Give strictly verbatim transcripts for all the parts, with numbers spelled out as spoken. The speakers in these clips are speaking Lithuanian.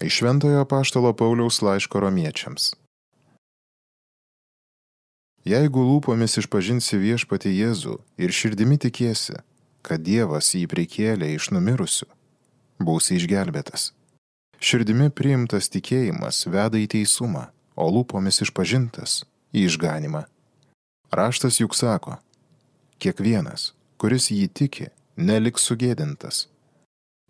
Iš Šventojo apaštalo Pauliaus laiško Romiečiams. Jeigu lūpomis išpažinsi viešpatį Jėzų ir širdimi tikiesi, kad Dievas jį prikėlė iš numirusių, būsi išgelbėtas. Širdimi priimtas tikėjimas veda į teisumą, o lūpomis išpažintas į išganimą. Raštas juk sako, kiekvienas, kuris jį tiki, neliks sugėdintas.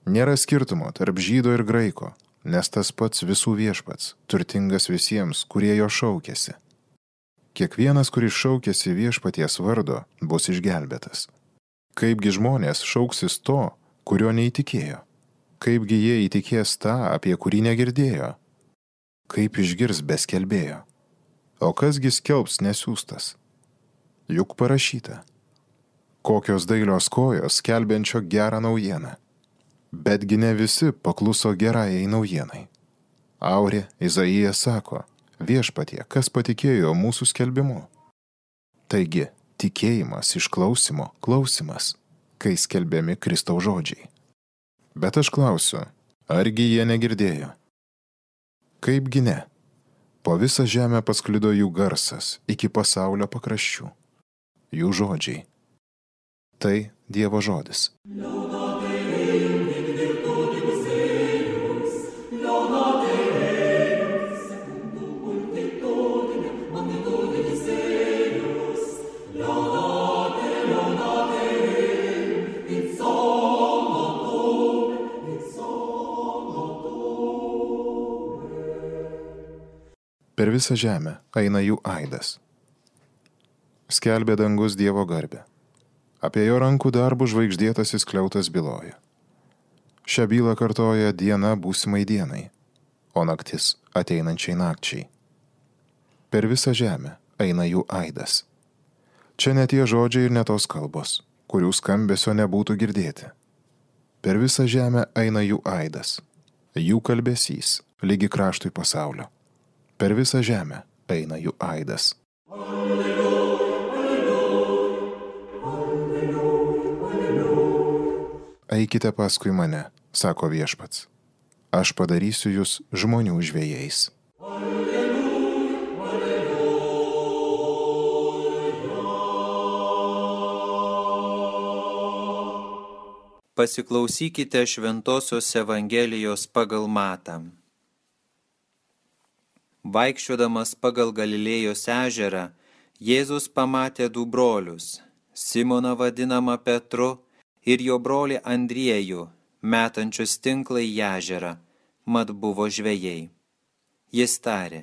Nėra skirtumo tarp žydo ir graiko, nes tas pats visų viešpats, turtingas visiems, kurie jo šaukėsi. Kiekvienas, kuris šaukėsi viešpaties vardo, bus išgelbėtas. Kaipgi žmonės šauksis to, kurio neįtikėjo? Kaipgi jie įtikės tą, apie kurį negirdėjo? Kaip išgirs be skelbėjo? O kasgi skelbs nesiųstas? Juk parašyta. Kokios dailios kojos skelbiančio gerą naujieną. Betgi ne visi pakluso gerajai naujienai. Aurė Izaijas sako, viešpatie, kas patikėjo mūsų skelbimu? Taigi, tikėjimas iš klausimo, klausimas, kai skelbiami Kristaus žodžiai. Bet aš klausiu, argi jie negirdėjo? Kaipgi ne? Po visą žemę pasklido jų garsas iki pasaulio pakraščių. Jų žodžiai. Tai Dievo žodis. Per visą žemę eina jų aidas. Skelbė dangus Dievo garbę. Apie jo rankų darbų žvaigždėtasis skliautas byloja. Šią bylą kartoja diena būsimai dienai, o naktis ateinančiai nakčiai. Per visą žemę eina jų aidas. Čia ne tie žodžiai ir ne tos kalbos, kurių skambesio nebūtų girdėti. Per visą žemę eina jų aidas, jų kalbesys, lygi kraštui pasaulio. Per visą žemę eina jų aidas. Alleluja, alleluja, alleluja, alleluja. Eikite paskui mane, sako viešpats. Aš padarysiu jūs žmonių žvejais. Alleluja, alleluja. Pasiklausykite Šventosios Evangelijos pagal Matą. Vaikščiodamas pagal Galilėjos ežerą, Jėzus pamatė du brolius, Simoną vadinamą Petru ir jo brolį Andriejų, metančius tinklą į ežerą, mat buvo žvejai. Jis tarė,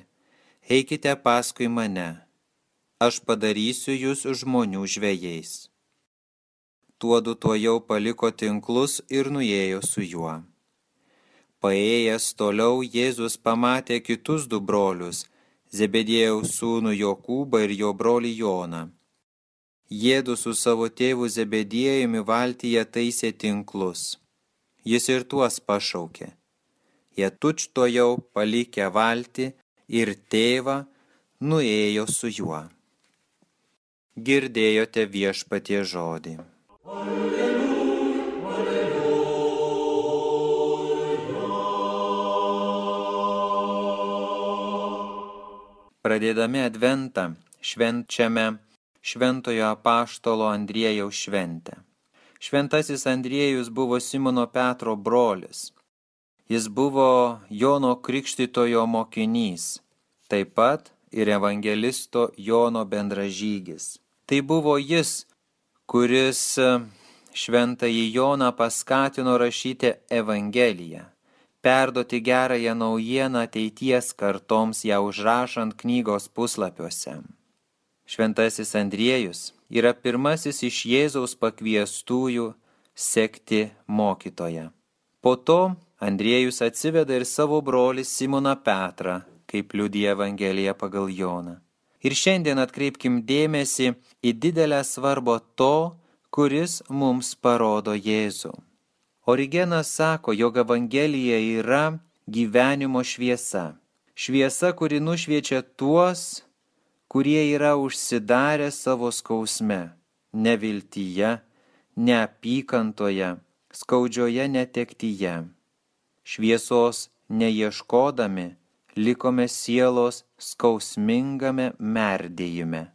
eikite paskui mane, aš padarysiu jūs žmonių žvejais. Tuodu tuojau paliko tinklus ir nuėjo su juo. Paėjęs toliau Jėzus pamatė kitus du brolius, Zebediejaus sūnų Jokūbą ir jo brolį Joną. Jiedu su savo tėvu Zebediejumi valtyje taisė tinklus. Jis ir tuos pašaukė. Jie tučtuojau palikę valtį ir tėvą nuėjo su juo. Girdėjote viešpatie žodį. Alleluja. Pradėdami adventą švenčiame Šventojo apaštalo Andriejaus šventę. Šventasis Andriejus buvo Simono Petro brolis. Jis buvo Jono Krikštytojo mokinys, taip pat ir evangelisto Jono bendražygis. Tai buvo jis, kuris šventąjį Joną paskatino rašyti Evangeliją, perduoti gerąją naujieną ateities kartoms ją užrašant knygos puslapiuose. Šventasis Andriejus yra pirmasis iš Jėzaus pakviestųjų sekti mokytoją. Po to Andriejus atsiveda ir savo brolį Simoną Petrą, kaip liudija Evangelija pagal Joną. Ir šiandien atkreipkim dėmesį į didelę svarbą to, kuris mums parodo Jėzų. Origenas sako, jog Evangelija yra gyvenimo šviesa. Šviesa, kuri nušviečia tuos, kurie yra užsidarę savo skausme, neviltyje, neapykantoje, skaudžioje netektyje. Šviesos neieškodami, likome sielos skausmingame merdėjime.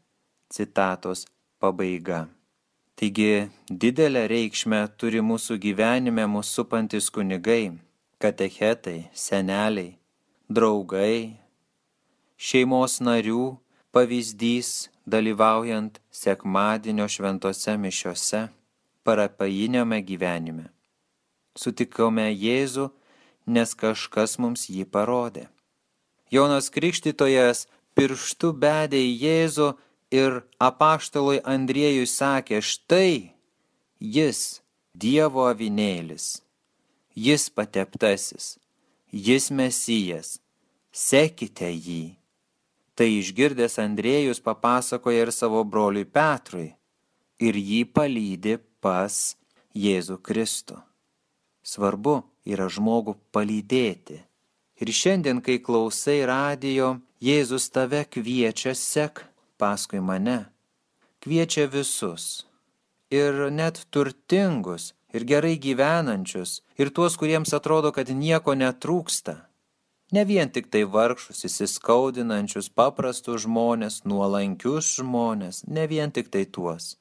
Citatos pabaiga. Taigi didelę reikšmę turi mūsų gyvenime mūsų supantis kunigai, katechetai, seneliai, draugai, šeimos narių pavyzdys dalyvaujant sekmadienio šventose mišiose, parapijiniame gyvenime. Sutikome Jėzų, nes kažkas mums jį parodė. Jonas Krikštytojas pirštu bedė į Jėzų ir apaštalui Andriejui sakė, štai jis Dievo avinėlis, jis pateptasis, jis Mesijas, sekite jį. Tai išgirdęs Andriejus papasakoja ir savo broliui Petrui ir jį palydi pas Jėzų Kristų. Svarbu yra žmogų palydėti. Ir šiandien, kai klausai radijo, Jėzus tave kviečia, sek paskui mane. Kviečia visus. Ir net turtingus, ir gerai gyvenančius, ir tuos, kuriems atrodo, kad nieko netrūksta. Ne vien tik tai vargšus, įsiskaudinančius, paprastus žmonės, nuolankius žmonės, ne vien tik tai tuos.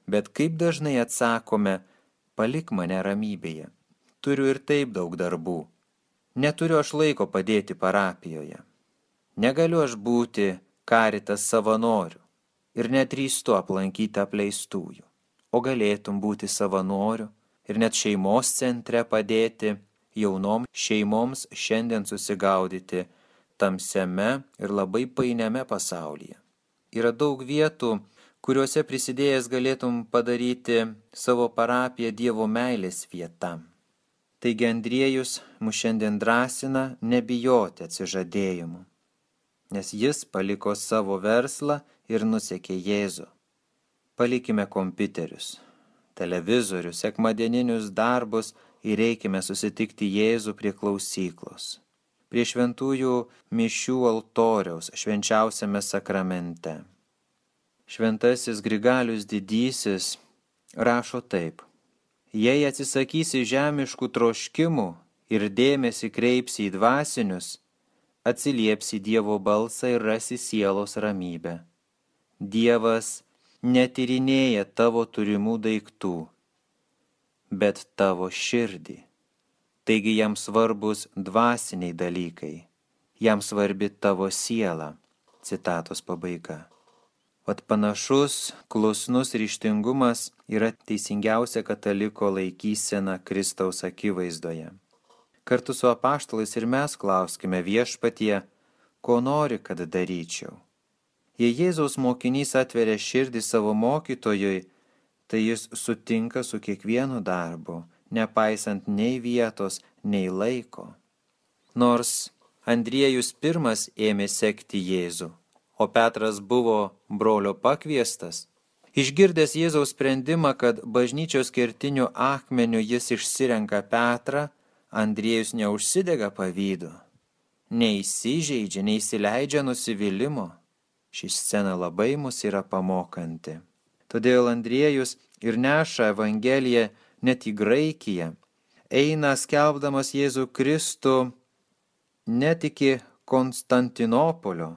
Bet kaip dažnai atsakome, palik mane ramybėje. Turiu ir taip daug darbų. Neturiu aš laiko padėti parapijoje. Negaliu aš būti karitas savanoriu ir nedrįstu aplankyti apleistųjų. O galėtum būti savanoriu ir net šeimos centre padėti jaunom šeimoms šiandien susigaudyti tamsiame ir labai painiame pasaulyje. Yra daug vietų, kuriuose prisidėjęs galėtum padaryti savo parapiją Dievo meilės vieta. Taigi Andriejus mus šiandien drąsina nebijoti atsižadėjimų, nes jis paliko savo verslą ir nusekė Jėzų. Palikime kompiuterius, televizorius, sekmadieninius darbus ir eikime susitikti Jėzų prie klausyklos, prie šventųjų mišių altoriaus švenčiausiame sakramente. Šventasis Grigalius Didysis rašo taip. Jei atsisakysi žemiškų troškimų ir dėmesį kreipsi į dvasinius, atsiliepsi Dievo balsą ir rasi sielos ramybę. Dievas netyrinėja tavo turimų daiktų, bet tavo širdį. Taigi jam svarbus dvasiniai dalykai, jam svarbi tavo siela. Citatos pabaiga. Vat panašus, klusnus ryžtingumas yra teisingiausia kataliko laikysena Kristaus akivaizdoje. Kartu su apaštalais ir mes klauskime Viešpatie, ko nori, kad daryčiau. Jei Jėzaus mokinys atveria širdį savo mokytojui, tai jis sutinka su kiekvienu darbu, nepaisant nei vietos, nei laiko. Nors Andriejus pirmas ėmė sekti Jėzų, o Petras buvo brolio pakviestas, išgirdęs Jėzaus sprendimą, kad bažnyčios kertiniu akmeniu jis išsirenka Petrą, Andriejus neužsidega pavydu, neįsižeidžia, neįsileidžia nusivylimo. Ši scena labai mus yra pamokanti. Todėl Andriejus ir neša Evangeliją net į Graikiją, eina skelbdamas Jėzų Kristų net iki Konstantinopolio.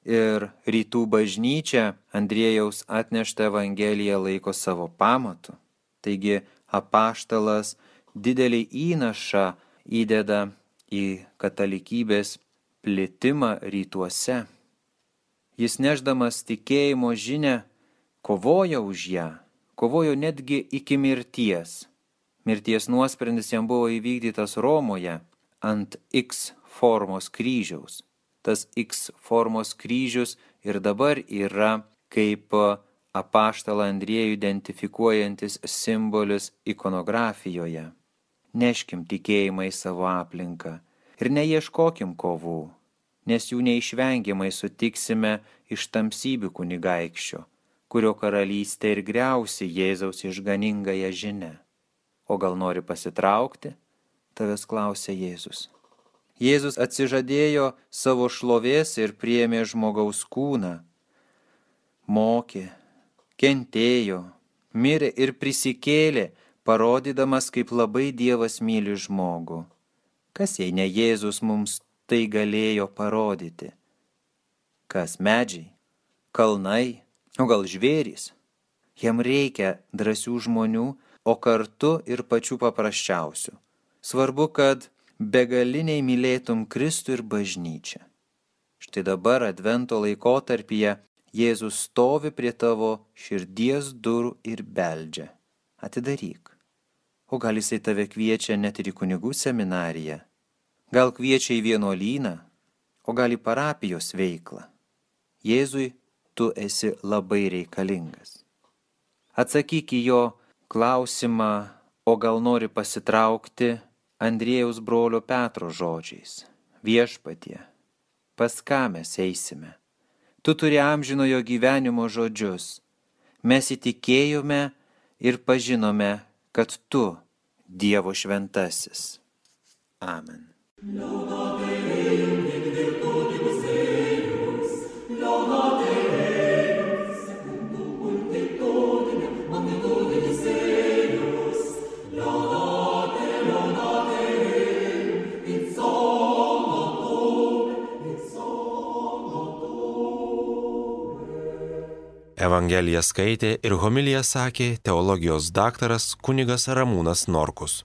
Ir rytų bažnyčia Andriejaus atneštą Evangeliją laiko savo pamatu. Taigi apaštalas didelį įnašą įdeda į katalikybės plitimą rytuose. Jis nešdamas tikėjimo žinią kovojo už ją, kovojo netgi iki mirties. Mirties nuosprendis jam buvo įvykdytas Romoje ant X formos kryžiaus. Tas X formos kryžius ir dabar yra kaip apaštalą Andriejų identifikuojantis simbolis ikonografijoje. Neškim tikėjimą į savo aplinką ir neieškokim kovų, nes jų neišvengiamai sutiksime iš tamsybių kunigaikščio, kurio karalystė ir griausi Jėzaus išganingąją žinią. O gal nori pasitraukti? Tavęs klausia Jėzus. Jėzus atsižadėjo savo šlovės ir priėmė žmogaus kūną, mokė, kentėjo, mirė ir prisikėlė, parodydamas, kaip labai Dievas myli žmogų. Kas jei ne Jėzus mums tai galėjo parodyti? Kas medžiai, kalnai, o gal žvėrys? Jam reikia drąsių žmonių, o kartu ir pačių paprasčiausių. Svarbu, kad begaliniai mylėtum Kristų ir bažnyčią. Štai dabar Advento laikotarpyje Jėzus stovi prie tavo širdies durų ir beldžia. Atidaryk. O gal jisai tave kviečia net ir į kunigų seminariją? Gal kviečia į vienuolyną? O gal į parapijos veiklą? Jėzui tu esi labai reikalingas. Atsakyk į jo klausimą, o gal nori pasitraukti Andriejaus brolio Petro žodžiais. Viešpatie, pas ką mes eisime? Tu turi amžinojo gyvenimo žodžius. Mes įtikėjome ir pažinome, kad tu Dievo šventasis. Amen. Evangeliją skaitė ir homiliją sakė teologijos daktaras kunigas Ramūnas Norkus.